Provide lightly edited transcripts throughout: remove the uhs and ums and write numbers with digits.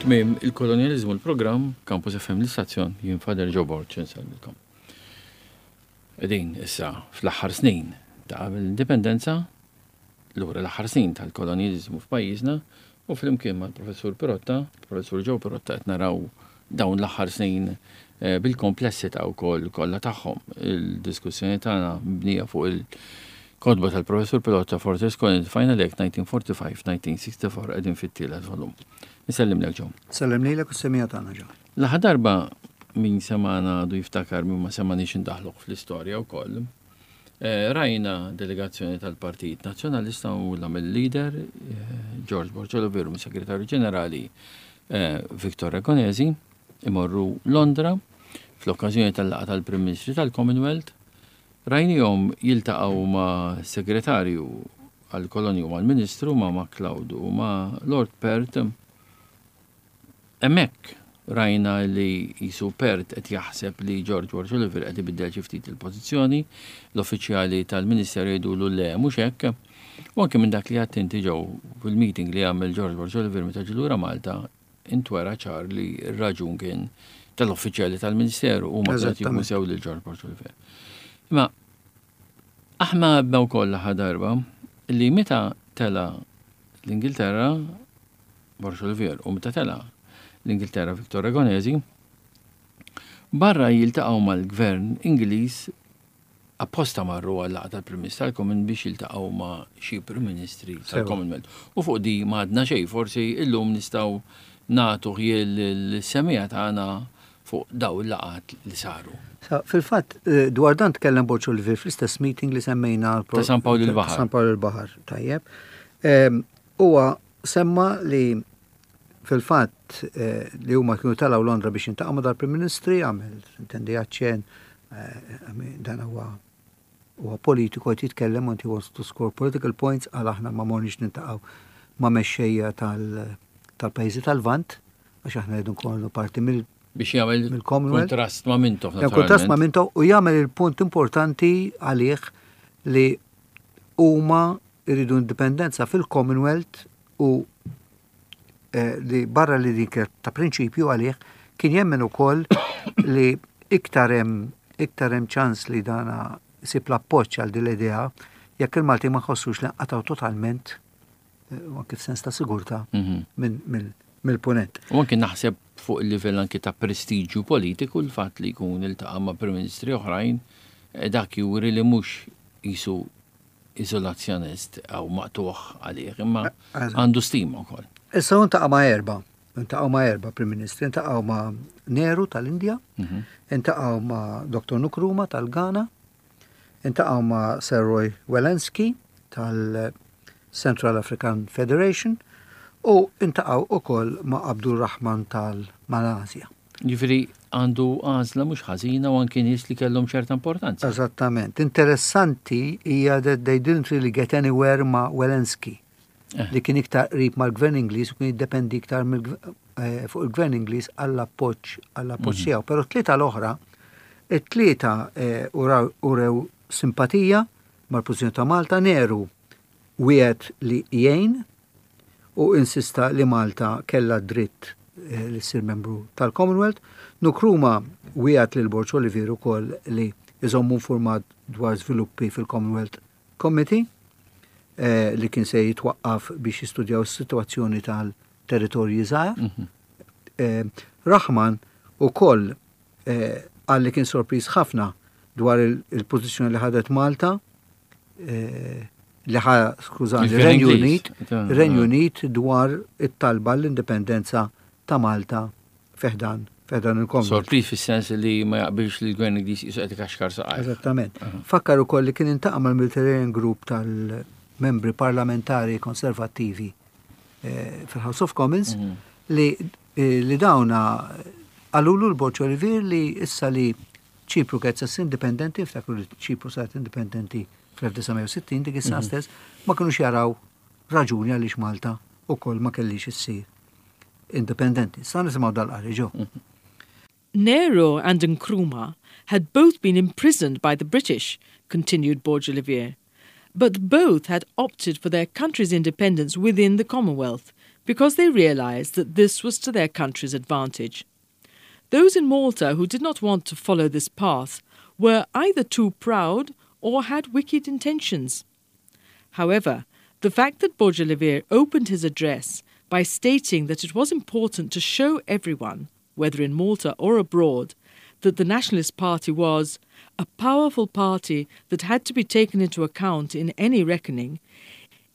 Tmiem il-kolonjaliżmu l-programm Campus FM l-istazzjon jien Father Joe Borg insellmilkom. Qegħdin issa fl-aħħar snin ta' qabel l-indipendenza, lura l-aħħar snin tal-kolonjaliżmu f'pajjiżna u flimkien mal-Professur Pirotta, il-Professur Joe Pirotta qed naraw dawn l-aħħar snin eh, bil-komplessità wkoll kollha tagħhom. Il-diskussjoni tagħna mibnija fuq il-kotba tal-Professur Pirotta Fortress Colony Final Act 1945-1964 qegħdin fit-tielet volum. Insellimlek Joe. Sellem lilek u s-semija tagħna Joe. L-aħħar darba min semana għadu jiftakar min ma semaniex indaħluh fl-istorja wkoll. Eh, rajna delegazzjoni tal-Partit Nazzjonalista u la mill-leader eh, George Borg Oliveira mis-Segretarju Ġenerali eh, Victor Ragonesi imorru Londra fl-okkażjoni tal-laqgħa tal-Prim Ministri tal-Commonwealth. Rajnihom jiltaqgħu ma' Segretarju għall-Kolonji u mal-Ministru ma' MacLeod u ma' Lord Perth. Hemmhekk rajna li qisu Perth qed jaħseb li George Borg Olivier qed ibiddel xi ftit il-pożizzjoni, l-uffiċjali tal-Ministeru jgħidulu le mhux hekk. U anke minn dak li għedt inti Joe fil-meeting li għamel George Borg Olivier meta ġie lura Malta intwera ċar li r-raġun kien tal-uffiċjali tal-Ministeru huma kienu qed jifhmu sew lil George Borg Olivier. Imma aħna għedna wkoll l-aħħar darba li meta tela l-Ingilterra Borg Olivier u meta tela l-Ingilterra Victor Ragonesi, barra jiltaqgħu mal-gvern Ingliż apposta marru għal laqgħa tal-Prim Ministru tal-Commonwealth biex jiltaqgħu ma' xi Prim Ministri tal-Commonwealth. U fuq di ma għadna xejn, forsi illum nistgħu nagħtu ħjiel lis-semmiegħa tagħna fuq daw il-laqgħat li saru. Fil-fatt, eh, dwar dan tkellem Borg Olivier fl-istess meeting li semmejna. Ta' San Pawl il-Baħar. San Pawl il-Baħar, tajjeb. Ehm, huwa semma li fil-fatt eh, li huma kienu telgħu Londra biex jintaqgħu ma' dal-Prim Ministri, għamel intendi aċċen eh, dan huwa huwa politiku qed jitkellem and he wants to score political points għal aħna ma morniex nintaqgħu ma' mexxejja tal-pajjiżi tal-Lvant għax aħna rridu nkunu parti mill biex jagħmel kontrast ma' Mintoff. Kontrast ma' Mintoff u jagħmel il-punt importanti għalih li huma jridu indipendenza fil-Commonwealth u eh, li barra li din kienet ta' prinċipju għalih kien jemmen ukoll li iktar hemm iktar hemm ċans li dana sib l-appoġġ għal din l-idea jekk il-Malti ma jħossux li nqatgħu totalment eh, anke f'sens ta' sigurtà mhm. mill-punent. U anke naħseb fuq il-livell anke ta' prestiġju politiku l-fatt li jkun iltaqa' ma' Prim Ministri oħrajn eh, dak juri li mhux jisu iżolazzjonist jew maqtugħ għalih, imma għandu stima wkoll. Issa hu ntaqa' ma' erba', intaqgħu ma' erba' Prim Ministri, intaqgħu ma' Nehru tal-Indja, mhm. intaqgħu ma' Dr. Nkrumah tal-Ghana, intaqgħu ma' Sir Roy Welensky tal-Central African Federation u intaqgħu ukoll ma' Abdul Rahman tal-Malasja. Jiġifieri għandu għażla mhux ħażina u anki nies li kellhom ċerta importanza. Eżattament. Interessanti hija that they didn't really get anywhere ma' Welensky eh. li kien iktar qrib mal-gvern Ingliż u kien jiddependi iktar eh, fuq il-gvern Ingliż għall-appoġġ għall-appoġġ mhm. tiegħu. Però t-tlieta l-oħra, it-tlieta eh, urew simpatija mal-pożizzjoni ta' Malta, Nehru wiegħed li jgħin u insista li Malta kellha d-dritt eh, li ssir membru tal-Commonwealth. Nkrumah wiegħed lil Borg Olivier ukoll li iżommu informat dwar żviluppi fil-Commonwealth Committee eh, li kien se jitwaqqaf biex jistudjaw is-sitwazzjoni tal-territorji żgħar. Mhm. Eh, Rahman ukoll qal li kien sorpriż ħafna dwar il-pożizzjoni li ħadet Malta li ħa skużani, Renju Unit, Renju Unit dwar it-talba l-indipendenza ta' Malta feħdan feħdan il-Commonwealth. Sorpriż fis-sens li ma jaqbilx li l-Gvern Ingliż qisu qed ikaxkar saqajh. Eżattament. Fakkar ukoll li kien intaqa' mal-Mediterranean Group tal-membri parlamentari konservattivi eh, fil-House of Commons mhm. li eh, li dawna qalulu l-Borg Olivier li issa li Ċipru kienet se indipendenti, ftakru li Ċipru saret indipendenti fl-1960 dik is-sena mhm. stess, ma kinux jaraw raġuni għaliex Malta ukoll ma kellix issir indipendenti. Sa nisimgħu dal-qari ġo. Mhm. Nehru and Nkrumah had both been imprisoned by the British, continued Borg Olivier. But both had opted for their country's independence within the Commonwealth, because they realized that this was to their country's advantage. Those in Malta who did not want to follow this path were either too proud or had wicked intentions. However, the fact that Borg Olivier opened his address by stating that it was important to show everyone, whether in Malta or abroad, that the Nationalist Party was a powerful party that had to be taken into account in any reckoning,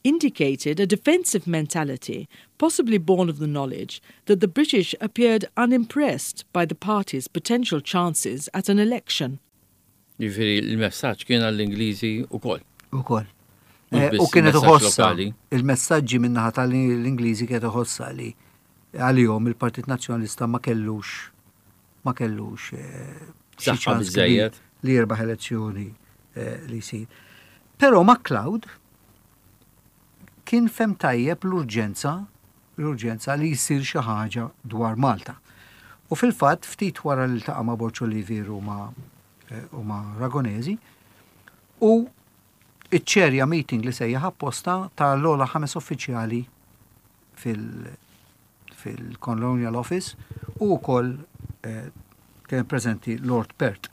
indicated a defensive mentality, possibly born of the knowledge that the British appeared unimpressed by the party's potential chances at an election. Jiġifieri l-messaġġ kien għall-Ingliżi wkoll. Ukoll. Eh, u kienet uħossa il-messaġġi min-naħa tal-Ingliżi kienet uħossa li għalihom il-Partit Nazzjonalista ma kellux ma kellux eh, xi ċans li jirbaħ elezzjoni eh, li jsir. Però MacLeod kien fehem tajjeb l-urġenza l-urġenza li jsir xi ħaġa dwar Malta. U fil-fatt ftit wara li ltaqa' ma' Borg Olivier u ma' eh, u ma' Ragonesi u iċċerja meeting li sejjaħ apposta tal-ogħla ħames uffiċjali fil- fil-Colonial Office u wkoll eh, kien preżenti Lord Perth.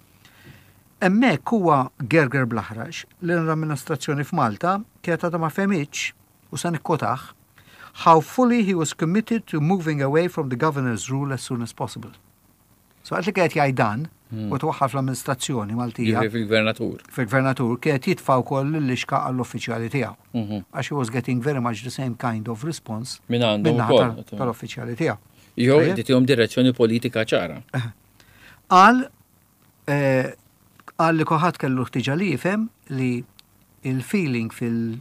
Hemmhekk huwa gerger bl-aħrax li l-amministrazzjoni f'Malta kienet għadha ma fehmitx u sa nikkwotah how fully he was committed to moving away from the governor's rule as soon as possible. So għat li kienet jgħid dan u twaħħal fl-amministrazzjoni Maltija. Fil-gvernatur. Fil-gvernatur kienet jitfa' wkoll l-lixka għall-uffiċjali tiegħu. Għax he was getting very much the same kind of response minn għandhom ukoll tal-uffiċjali tiegħu. Jew qed direzzjoni politika ċara. Qal eh, qal li kulħadd kellu ħtiġa li jifhem li il-feeling fil-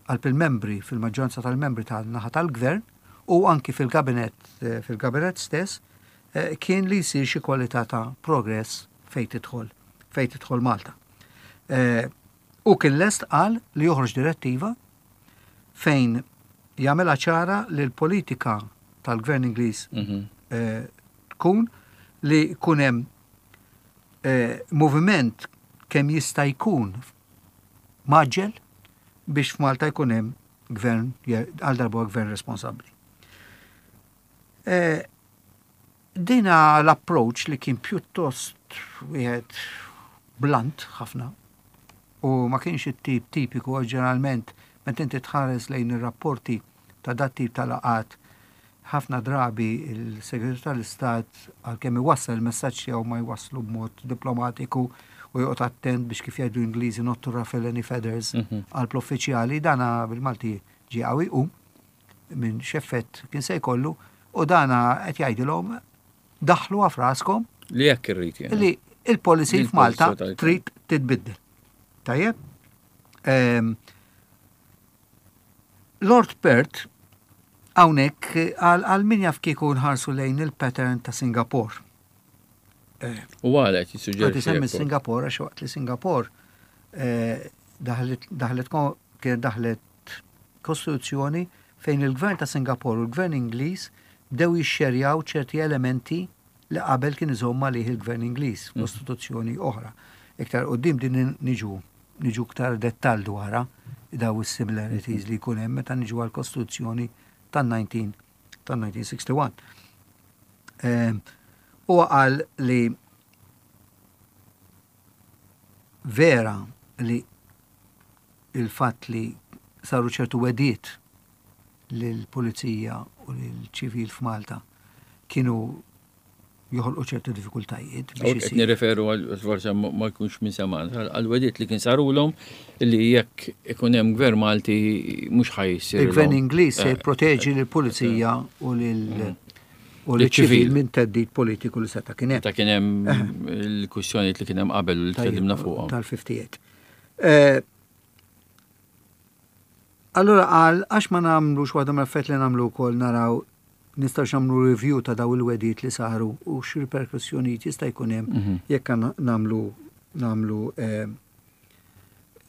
qalb il-membri, fil-maġġoranza tal-membri tal-naħa tal-gvern u anki fil-kabinet eh, fil-kabinet stess eh, kien li jsir xi kwalità ta' progress fejn tidħol fejn tidħol Malta. U kien lest qal li joħroġ direttiva fejn jagħmilha ċara li l-politika tal-gvern Ingliż tkun li jkun hemm moviment kemm jista' jkun mgħaġġel biex f'Malta jkun hemm gvern għal darba gvern responsabbli. Eh, dina l-approach li kien pjuttost wieħed blunt ħafna u ma kienx it-tip tipiku għax ġeneralment meta inti tħares lejn ir-rapporti ta' dat tip ta' laqgħat ħafna drabi il-Segretarju tal-Istat għalkemm iwassal il-messaġġ tiegħu ma jwasslu b'mod diplomatiku u joqgħod attent biex kif jgħidu Ingliżi not to ruffle any feathers għal uffiċjali dana bil-Malti ġie qawwi u minn x'effett kien se jkollu u dana qed jgħidilhom daħlu f'raskom li jekk irrid li il-policy f'Malta trid titbiddel. Tajjeb? Ehm, Lord Perth hawnhekk għal min jaf kieku nħarsu lejn il-pattern ta' Singapore. Eh, u għalek jissuġġerixxi. Semmi Singapore għax waqt li Singapore eh, daħlet kien daħlet kostituzzjoni fejn il-gvern ta' Singapore u l-gvern Ingliż bdew jixxerjaw ċerti elementi li qabel kien iżomm għalih il-gvern Ingliż f'kostituzzjoni oħra. Iktar quddiem din niġu niġu iktar dettall dwarha daw is-similarities li jkun hemm meta niġu għall-Kostituzzjoni tan-19 tan-1961. Ehm, huwa qal li vera li il-fatt li saru ċertu wegħdiet lill-pulizija u lill-ċivil f'Malta kienu joħolqu ċertu diffikultajiet. Qed nirreferu għal forse ma jkunx minn seman, għal wegħdiet li kien sarulhom li jekk ikun hemm gvern Malti mhux ħa jsir. Il-gvern Ingliż se jipproteġi lill-pulizija u lil u l-ċivil minn theddid politiku li seta' kien hemm. Ta' kien hemm il-kwistjonijiet li kien hemm qabel u li tkellimna fuqhom. Tal-58. Allura qal għax ma nagħmlux waħda mill-affarijiet li nagħmlu wkoll naraw nistgħux nagħmlu review ta' daw il-wegħdiet li saru u x'riperkussjonijiet jista' jkun hemm mhm. jekk nagħmlu nagħmlu eh,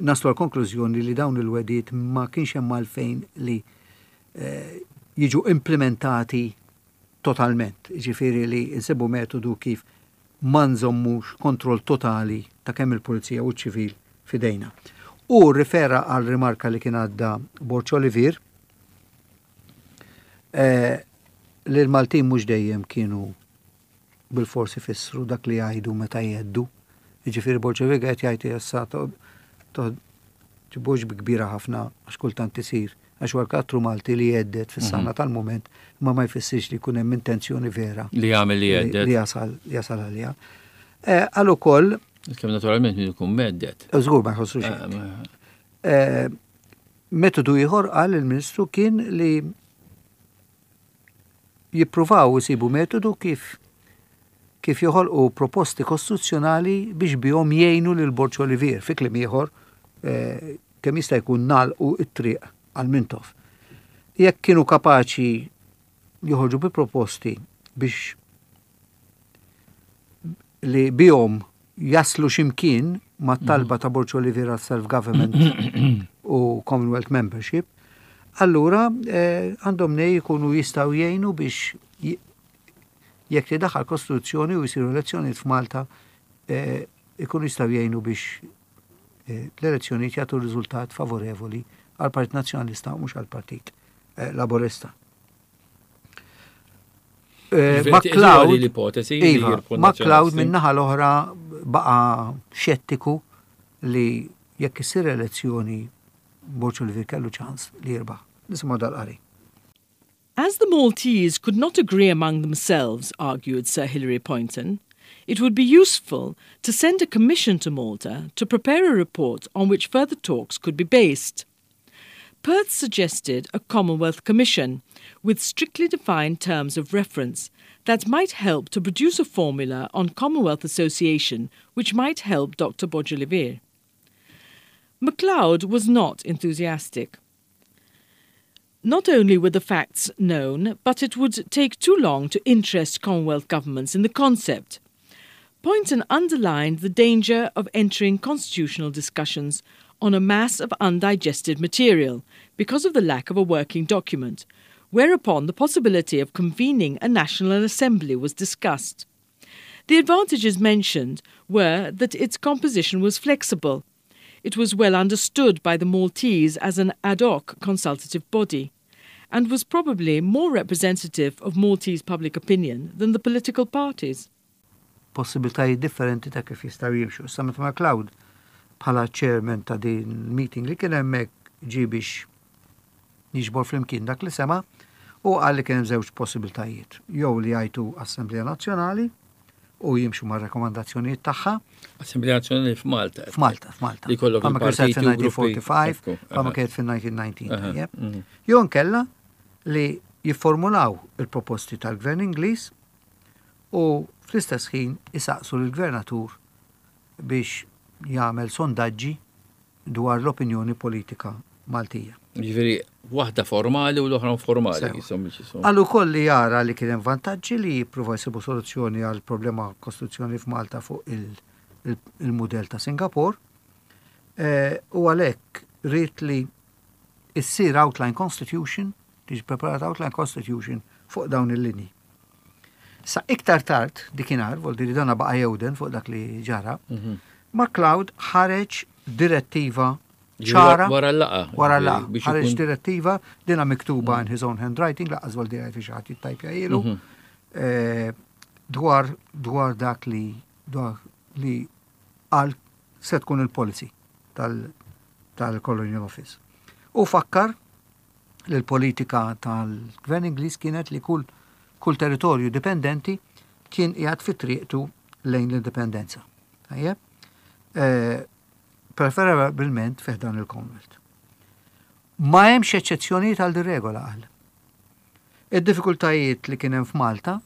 naslu għal konklużjoni li dawn il-wegħdiet ma kienx hemm għalfejn li eh, jiġu implementati totalment. Ġifieri li nsibu metodu kif ma nżommux kontroll totali ta' kemm il-pulizija u ċ-ċivil fidejna. U rifera għal rimarka li kien għadda Borg Olivier. Eh, li l-Maltin mhux dejjem kienu bilfors ifissru dak li jgħidu meta jgħeddu. Jiġifieri Borg Olivier qed jgħid issa ġibux bi kbira ħafna għax kultant isir għax huwa l-karattru Malti li jgħedded fis-sana mhm. tal-mument imma ma jfissirx li jkun hemm intenzjoni vera. Li jagħmel li jgħedded. Li jasal jasal għaliha. Eh, għal ukoll. Kemm naturalment min ikun medded. Żgur ma jħossu xejn. Eh, eh, metodu ieħor qal il-Ministru kien li jippruvaw isibu metodu kif kif joħolqu proposti kostituzzjonali biex bihom jgħinu lil Borg Olivier, fi kliem ieħor eh, kemm jista' jkun nagħlqu t-triq għal Mintoff. Jekk kienu kapaċi joħorġu bi proposti biex li bihom jaslu ximkien ma' talba ta' Borg Olivier għal self-government u Commonwealth membership, allura eh, għandhom eh, nej jkunu jistaw jgħinu biex jekk tidaħħal kostituzzjoni u jisiru elezzjonijiet f'Malta eh, ikunu jistaw jgħinu biex eh, l-elezzjonijiet jagħtu riżultat favorevoli għal Partit Nazzjonalista u mhux għal Partit eh, Laburista. Eh, MacLeod, l-ipotesi iva, MacLeod min-naħa l-oħra baqa xettiku li jekk issir elezzjoni Borg Olivier kellu ċans li jirbaħ. Nisimgħu dal-qari. As the Maltese could not agree among themselves, argued Sir Hilary Poynton, it would be useful to send a commission to Malta to prepare a report on which further talks could be based. Perth suggested a Commonwealth Commission with strictly defined terms of reference that might help to produce a formula on Commonwealth Association which might help Dr. Borg Olivier. MacLeod was not enthusiastic. Not only were the facts known, but it would take too long to interest Commonwealth governments in the concept. Poynton underlined the danger of entering constitutional discussions on a mass of undigested material because of the lack of a working document, whereupon the possibility of convening a National Assembly was discussed. The advantages mentioned were that its composition was flexible. It was well understood by the Maltese as an ad hoc consultative body and was probably more representative of Maltese public opinion than the political parties. Possibiltajiet differenti ta' kif jistgħu jimxu. Issa meta MacLeod bħala chairman ta' din meeting li kien hemmhekk ġie biex jiġbor flimkien dak li sema' u qal li kien hemm żewġ possibiltajiet. Jew li jgħajtu Assemblea Nazzjonali u jimxu ma' rekomandazzjonijiet tagħha. Assemblea Nazzjonali f'Malta. F'Malta, f'Malta. Li kollok il-partiti fil-1945, bħalma kienet fil-1919. Mhm. Jew nkella li jifformulaw il-proposti tal-Gvern Ingliż u fl-istess ħin isaqsu lill-gvernatur biex jagħmel sondaġġi dwar l-opinjoni politika Maltija. Jiġifieri waħda formali u l-oħra informali. Qal ukoll li jara li kien hemm vantaġġi li jippruvaw jsibu soluzzjoni għal problema kostituzzjoni f'Malta fuq il-mudell ta' Singapore eh, u għalhekk ried li issir outline constitution, tiġi preparata outline constitution fuq dawn il-linji. Sa iktar tard dikinhar, vol li dana baqa' jewden fuq dak li ġara, mhm. MacLeod ħareġ direttiva ċara. Wara l-laqa. Wara l-laqa. Ħareġ direttiva dina miktuba mhm. in his own handwriting, laqqas vol dirajt xi ħadd jittajpja ilu, mhm. eh, dwar dwar dak li dwar li għal se tkun il-policy tal-Colonial Office. U fakkar li l-politika tal-Gvern Ingliż kienet li kull kull territorju dipendenti kien qiegħed fi triqtu lejn l-indipendenza. Tajjeb? Eh, preferabilment fih dan il-Commonwealth. Ma hemmx eċċezzjonijiet għal regola qal. Id-diffikultajiet li kien hemm f'Malta,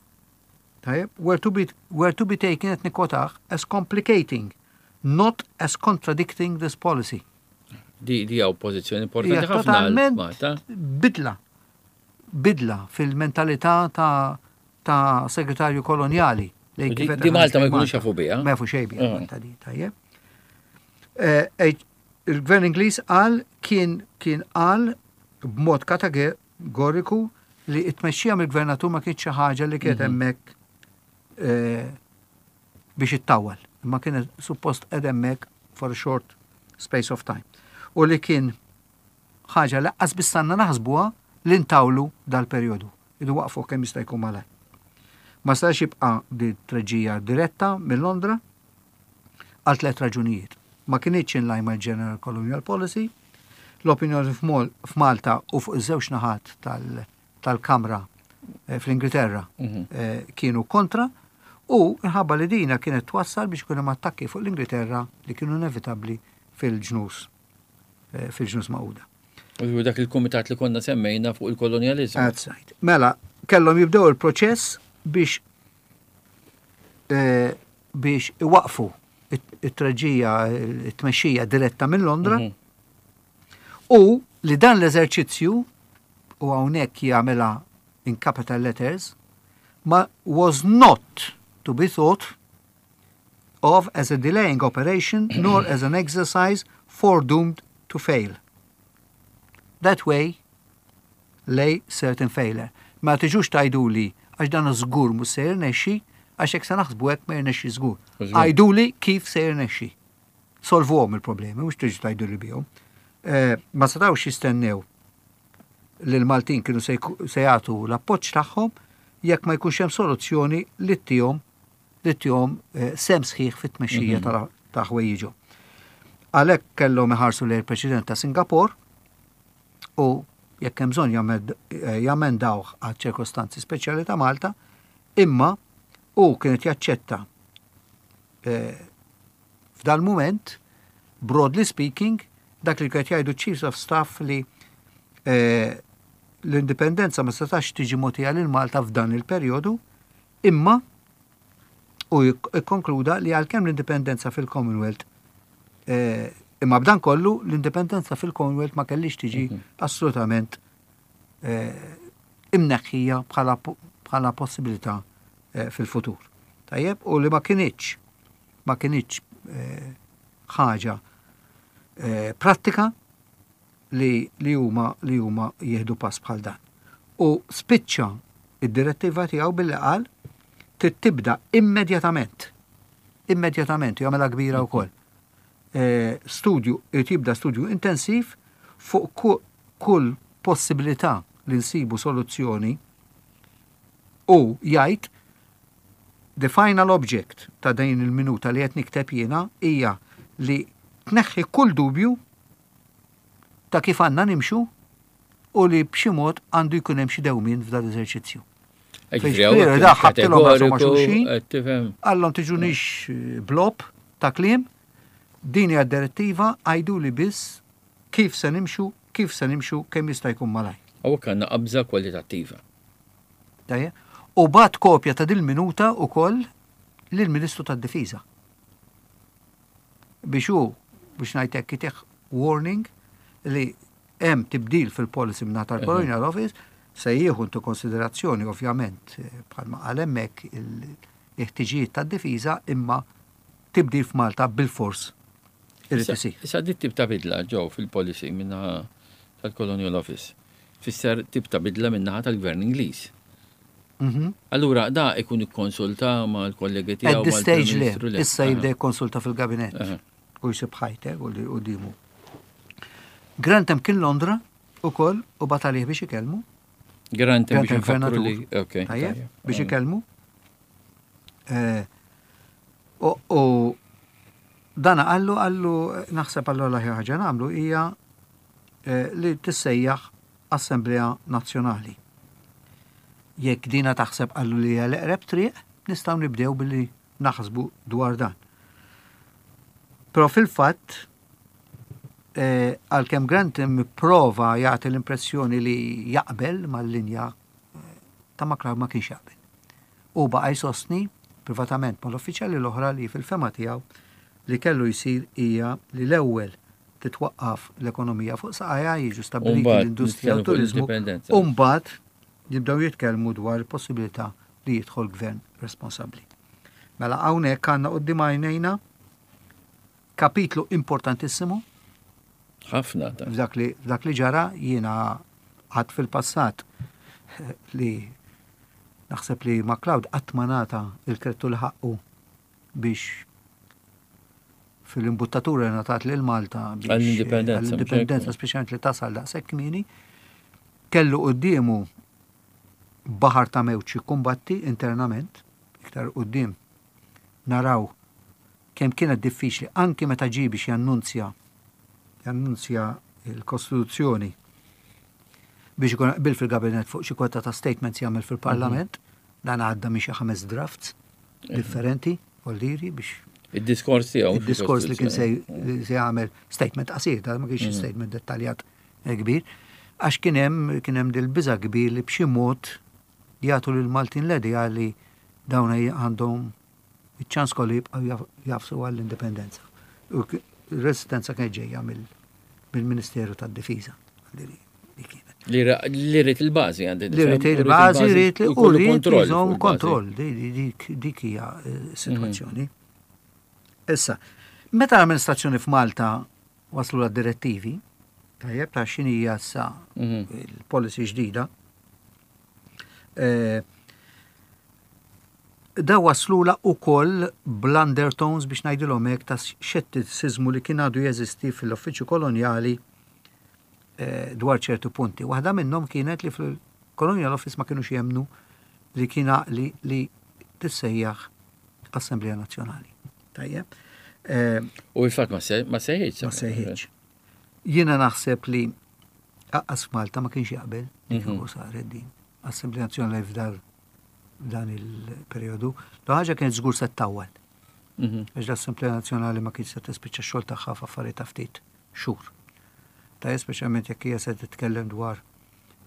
tajjeb, were to be, were to be taken qed nikkwotah as complicating, not as contradicting this policy. Di di hawn pożizzjoni importanti ħafna. Totalment bidla. Bidla fil-mentalità ta' ta' segretarju kolonjali. Di Malta ma jkunux jafu biha. Ma jafu xejn biha ah. Malta di, tajjeb. Eh, il-gvern Ingliż qal kien kien qal b'mod kategoriku li t-tmexxija mill-gvernatur ma kienx xi ħaġa li kienet mhm. hemmhekk eh, biex ittawwal, imma kienet suppost qed hemmhekk for a short space of time. U li kien ħaġa li qas biss għandna naħsbuha li ntawlu dal-perjodu. Irridu nwaqqfuh kemm jista' jkun malajr. Ma setax jibqa' di treġija diretta minn Londra għal tlett raġunijiet. Ma kinitx in line mal-General Colonial Policy, l-opinjoni f'Malta u fuq iż-żewġ naħat tal-Kamra eh, fl-Ingilterra mhm. eh, kienu kontra u nħabba li dina kienet twassal biex ikun hemm attakki fuq l-Ingilterra li kienu inevitabbli fil-ġnus eh, fil-ġnus Magħquda. U dak il-kumitat li konna semmejna fuq il-kolonjalizmu. That's right. Mela, kellhom jibdew il-proċess biex eh, biex iwaqfu it-treġija, it-tmexxija diretta minn Londra mhm. u li dan l-eżerċizzju u hawnhekk jagħmilha in capital letters ma was not to be thought of as a delaying operation nor as an exercise foredoomed to fail. That way lay certain failure. Ma tiġux tgħiduli għax dan żgur mhux se jirnexxi, għax jekk se naħsbu hekk ma jirnexxi żgur. Għiduli kif se jirnexxi. Solvuhom il-problemi, mhux tiġu tgħiduli bihom. Eh, ma setgħux jistennew li l-Maltin kienu se jagħtu l-appoġġ tagħhom jekk ma jkunx hemm soluzzjoni li ttihom li ttihom eh, sem sħiħ fit-tmexxija mhm. ta' ħwejjiġhom. Għalhekk kellhom iħarsu lejn il-President ta' Singapore u jekk hemm bżonn eh, jamendawh għal ċirkostanzi speċjali ta' Malta, imma u kienet jaċċetta eh, f'dal mument, broadly speaking, dak li kienet jgħidu Chiefs of Staff li eh, l-indipendenza ma setax tiġi mogħtija lil Malta f'dan il-perjodu, imma u ikkonkluda li għalkemm l-indipendenza fil-Commonwealth eh, imma b'dan kollu l-indipendenza fil-Commonwealth ma kellix tiġi mhm. assolutament eh, imneħħija bħala possibilità eh, fil-futur. Tajjeb, u li ma kinitx ma kinitx ħaġa prattika li li huma li huma jieħdu pass bħal dan. U spiċċa id-direttiva tiegħu billi qal trid tibda immedjatament. Immedjatament, jagħmilha kbira wkoll. E, studju, irid jibda studju intensiv fuq kull possibilità li nsibu soluzzjoni u jgħid the final object ta' din il-minuta li qed nikteb jiena hija li tneħħi kull dubju ta' kif għandna nimxu u li b'xi mod għandu jkun hemm xi dewmien f'dan l-eżerċizzju. Da ħabtilhom rashom ma' xulxin, għallhom tiġunix eh, blob ta' kliem, din hija direttiva għajduli biss kif se nimxu, kif se nimxu kemm jista' jkun malaj. Hawnhekk għandna qabża kwalitattiva. U bat kopja ta' dil-minuta ukoll lill-Ministru tad-Difiża. biex hu, biex ngħid hekk, itih warning li hemm tibdil fil-policy minn tal-Colonial Office se jieħu into konsiderazzjoni ovvjament bħalma qal hemmhekk il-ħtiġijiet tad-difiża imma tibdil f'Malta bil-fors irid isir. Issa dit tip ta' bidla ġew fil-policy min-naħa tal-Colonial Office tfisser tip ta' bidla min-naħa tal-Gvern Ingliż. Mhm. Allura da ikun ikkonsulta mal-kollegi tiegħu. At this stage le, issa jibda jikkonsulta fil-gabinett u jsib ħajtek u dimu. Grantham kien Londra ukoll u bagħat għalih biex ikellmu. Grantham biex gvernatur. Biex ikellmu. Eh, u dana qallu qallu naħseb qallu l-aħjar ħaġa nagħmlu hija eh, li tissejjaħ Assemblea Nazzjonali. Jekk dina taħseb qallu li hija l-eqreb triq, nistgħu nibdew billi naħsbu dwar dan. Però fil-fatt, eh, għalkemm Grantham prova jagħti l-impressjoni li jaqbel mal-linja eh, ta' MacLeod ma kienx jaqbel. U baqa' jsostni privatament mal-uffiċjali l-oħra li fil-fema tiegħu li kellu jsir hija li l-ewwel titwaqqaf l-ekonomija fuq saqajha, jiġu stabbiliti l-industrija u turiżmu, u mbagħad jibdew jitkellmu dwar il-possibilità li jidħol gvern responsabbli. Mela hawnhekk għandna quddiem għajnejna kapitlu importantissimu. Ħafna. F'dak li, f'dak li ġara jiena għad fil-passat li naħseb li MacLeod qatt ma ngħata il-kredtu li ħaqqu biex fil-imbuttatura li ngħatat lil Malta biex għall-indipendenza, speċjalment li tasal daqshekk kmieni, Kellu quddiemu baħar ta' mewġ jikkumbatti internament, iktar quddiem naraw kemm kienet diffiċli anki meta ġie biex jannunzja jannunzja l-Kostituzzjoni biex ikun qbil fil-gabinet fuq xi kwota ta' statements jagħmel fil-Parlament, dan għadda minn xi ħames drafts differenti, voldiri biex Id-diskors tiegħu. Id-diskors li kien se jagħmel statement qasir, da ma kienx statement dettaljat eh, kbir, għax kien hemm kien hemm dil-biża' kbir li b'xi mod jagħtu lil Maltin l-idea li dawn għandhom iċ-ċans kollu jibqgħu jagħfsu għall-indipendenza. U r-resistenza kienet ġejja mill-Ministeru tad-Difiża. Li rrit il-bażi għandi. Li rrit il-bażi, rrit li u rrit jżomm kontroll. Dik hija eh, situazzjoni. Issa, meta l-amministrazzjoni f'Malta waslu la direttivi, tajjeb ta' x'inhija issa il-policy ġdida, eh, Da waslulha ukoll bl-undertones biex ngħidilhom hekk ta' xettiċiżmu li kien għadu jeżisti fil-Uffiċċju Kolonjali dwar ċertu punti. Waħda minnhom kienet li fil-Colonial Office ma kinux jemmnu li kien għaqli li tissejjaħ Assemblea Nazzjonali. Tajjeb. U il-fatt ma sejħitx. Ma sejħitx. Jiena naħseb li aqqas f'Malta ma kienx jaqbel li kieku saret din. Assemblea Nazzjonali f'dar dan il-perjodu. L ħaġa kienet żgur se ttawwal. Għax l-Assemblea Nazzjonali ma kienx se tispiċċa x-xogħol tagħha f'affarijiet ta' ftit xhur. Ta' speċjalment jekk hija se titkellem dwar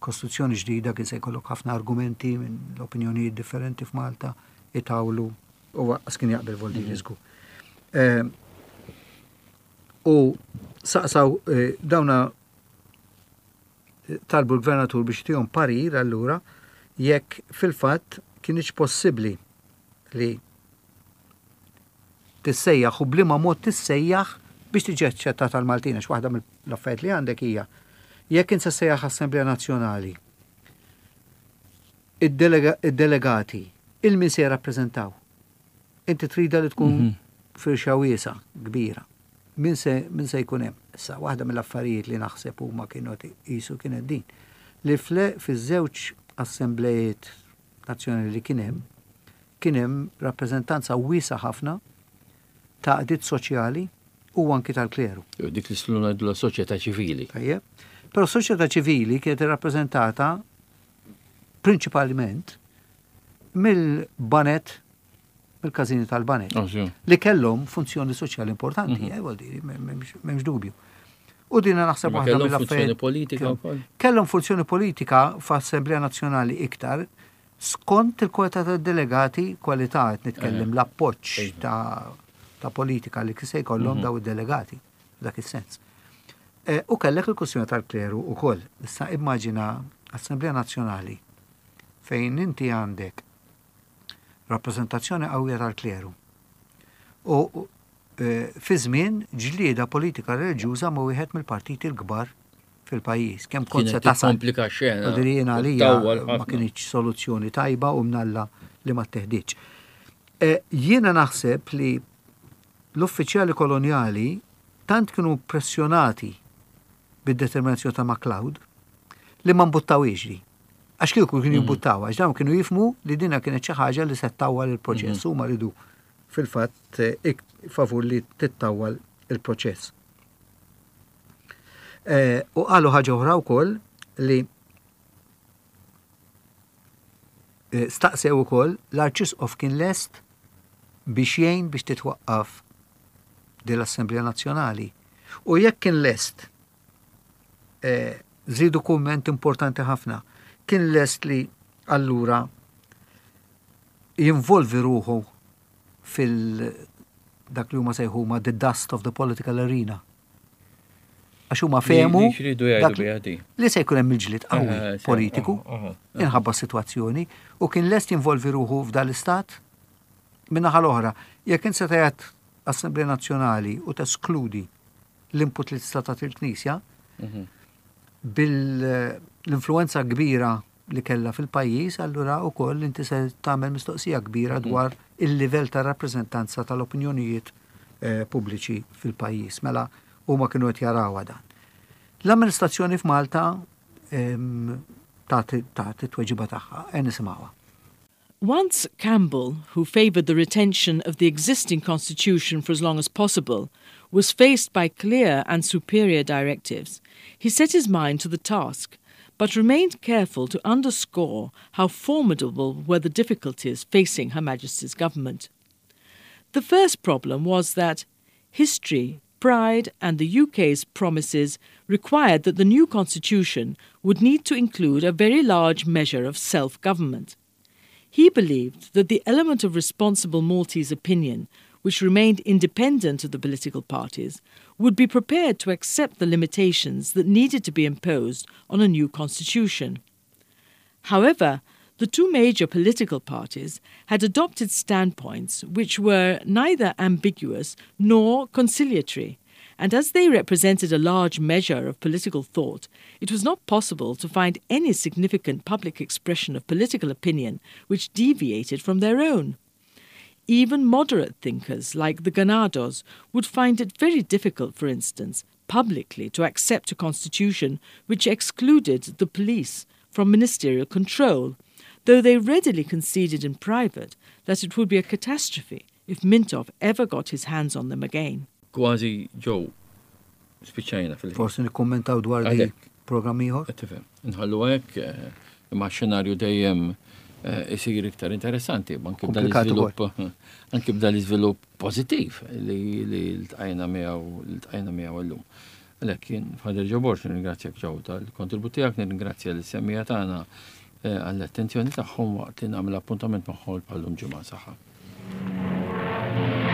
kostituzzjoni ġdida kien se jkollok ħafna argumenti minn l-opinjonijiet differenti f'Malta itawlu u waqqas kien jaqbel Voldiri żgur. U saqsaw dawna talbu l-gvernatur biex jtihom parir allura jekk fil-fatt kinitx possibbli li tissejjaħ u b'liema mod tissejjaħ biex tiġi aċċettata għall-Maltin għax waħda mill-affarijiet li għandek hija jekk int se ssejjaħ Assemblea Nazzjonali id-delegati il min se jirrappreżentaw? Inti tridha li tkun firxa wiesgħa, kbira. Min se, min se jkun hemm? Issa, waħda mill-affarijiet li naħseb huma kienu qed iqisu kienet din, li fl fiż-żewġ assemblejiet nazzjonali li kien hemm, kien hemm rappreżentanza wiesgħa ħafna ta' għaqdiet soċjali u anki tal-kleru. Jew dik li slu ngħidulha soċjetà ċivili. Tajjeb. Però s-soċjetà ċivili kienet irrappreżentata prinċipalment mill-banet mill-każini tal-banek. Ah, li kellhom funzjoni soċjali importanti, eh, vuol dire, m'hemmx dubju. U dina naħseb waħda mill-affarijiet. Funzjoni politika wkoll. Kellhom funzjoni politika f'Assemblea Nazzjonali iktar skont il-kwalità tad-delegati, kwalità qed nitkellem eh. l-appoġġ iva. ta' politika li se jkollhom mhm. daw id-delegati f'dak is-sens. Eh, u kellek il-kwestjoni tal-kleru ukoll. Issa immaġina Assemblea Nazzjonali fejn inti għandek rappreżentazzjoni qawwija tal-kleru. U e, fi żmien ġlieda politika reliġjuża ma' wieħed mill-partiti l-kbar fil-pajjiż. Kemm kont se tasal. Komplika xena. Jiena għalija ma kienx soluzzjoni tajba u mnalla li ma teħdiċ. E, jiena naħseb li l-uffiċjali kolonjali tant kienu pressjonati bid-determinazzjoni ta' MacLeod li ma mbuttawiex di. Għax kieku kienu jimbuttaw, għax dawn kienu jifmu li dina kienet xi ħaġa li se ttawwal il-proċess, huma ridu fil-fatt eh, favur li tittawwal il-proċess. Eh, u qalu ħaġa oħra wkoll li eh, staqsew ukoll l-Arċisqof kien lest biex jgħin biex titwaqqaf din l-Assemblea Nazzjonali. U jekk kien lest Żiedu kumment importanti ħafna. Kien lest li allura jinvolvi ruħu fil dak li huma sejħuma the dust of the political arena. Għax huma fehmu li se jkun hemm il-ġlied qawwi eh, eh, politiku minħabba s-sitwazzjoni u kien lest jinvolvi ruħu f'dan l-istat. Min-naħa l-oħra, jekk int se tgħid Assemblea Nazzjonali u teskludi l-input li tista' tagħti l-Knisja mhm. bil-influenza kbira li kellha fil-pajjiż, allura wkoll inti se tagħmel mistoqsija kbira mhm. dwar il-livell ta' rappreżentanza tal-opinjonijiet eh, pubbliċi fil-pajjiż. Mela huma kienu qed jarawha dan. L-amministrazzjoni f'Malta tagħti tweġiba tagħha. E nisimgħuha. Once Campbell, who favoured the retention of the existing constitution for as long as possible, was faced by clear and superior directives, he set his mind to the task, but remained careful to underscore how formidable were the difficulties facing Her Majesty's government. The first problem was that history, pride, and the UK's promises required that the new constitution would need to include a very large measure of self government. He believed that the element of responsible Maltese opinion, which remained independent of the political parties, would be prepared to accept the limitations that needed to be imposed on a new constitution. However, the two major political parties had adopted standpoints which were neither ambiguous nor conciliatory, and as they represented a large measure of political thought, it was not possible to find any significant public expression of political opinion which deviated from their own. Even moderate thinkers like the Ganados would find it very difficult, for instance, publicly to accept a constitution which excluded the police from ministerial control, though they readily conceded in private that it would be a catastrophe if Mintoff ever got his hands on them again. Kważi Joe, spiċċajna fil Forsi nikkummentaw dwar di programm ieħor. Tifhem. Nħallu hekk eh, imma xenarju dejjem eh, isir iktar interessanti, anke b'dan l-iżvilupp anke b'dan l-iżvilupp pożittiv li ltqajna miegħu ltqajna miegħu llum. Għalhekk jien Father Joe Borg nirringrazzjak Joe tal-kontribut tiegħek, nirringrazzja lis-semmiegħa tagħna eh, għall-attenzjoni tagħhom waqt li nagħmel appuntament magħhom bħallum ġimgħa saħħa.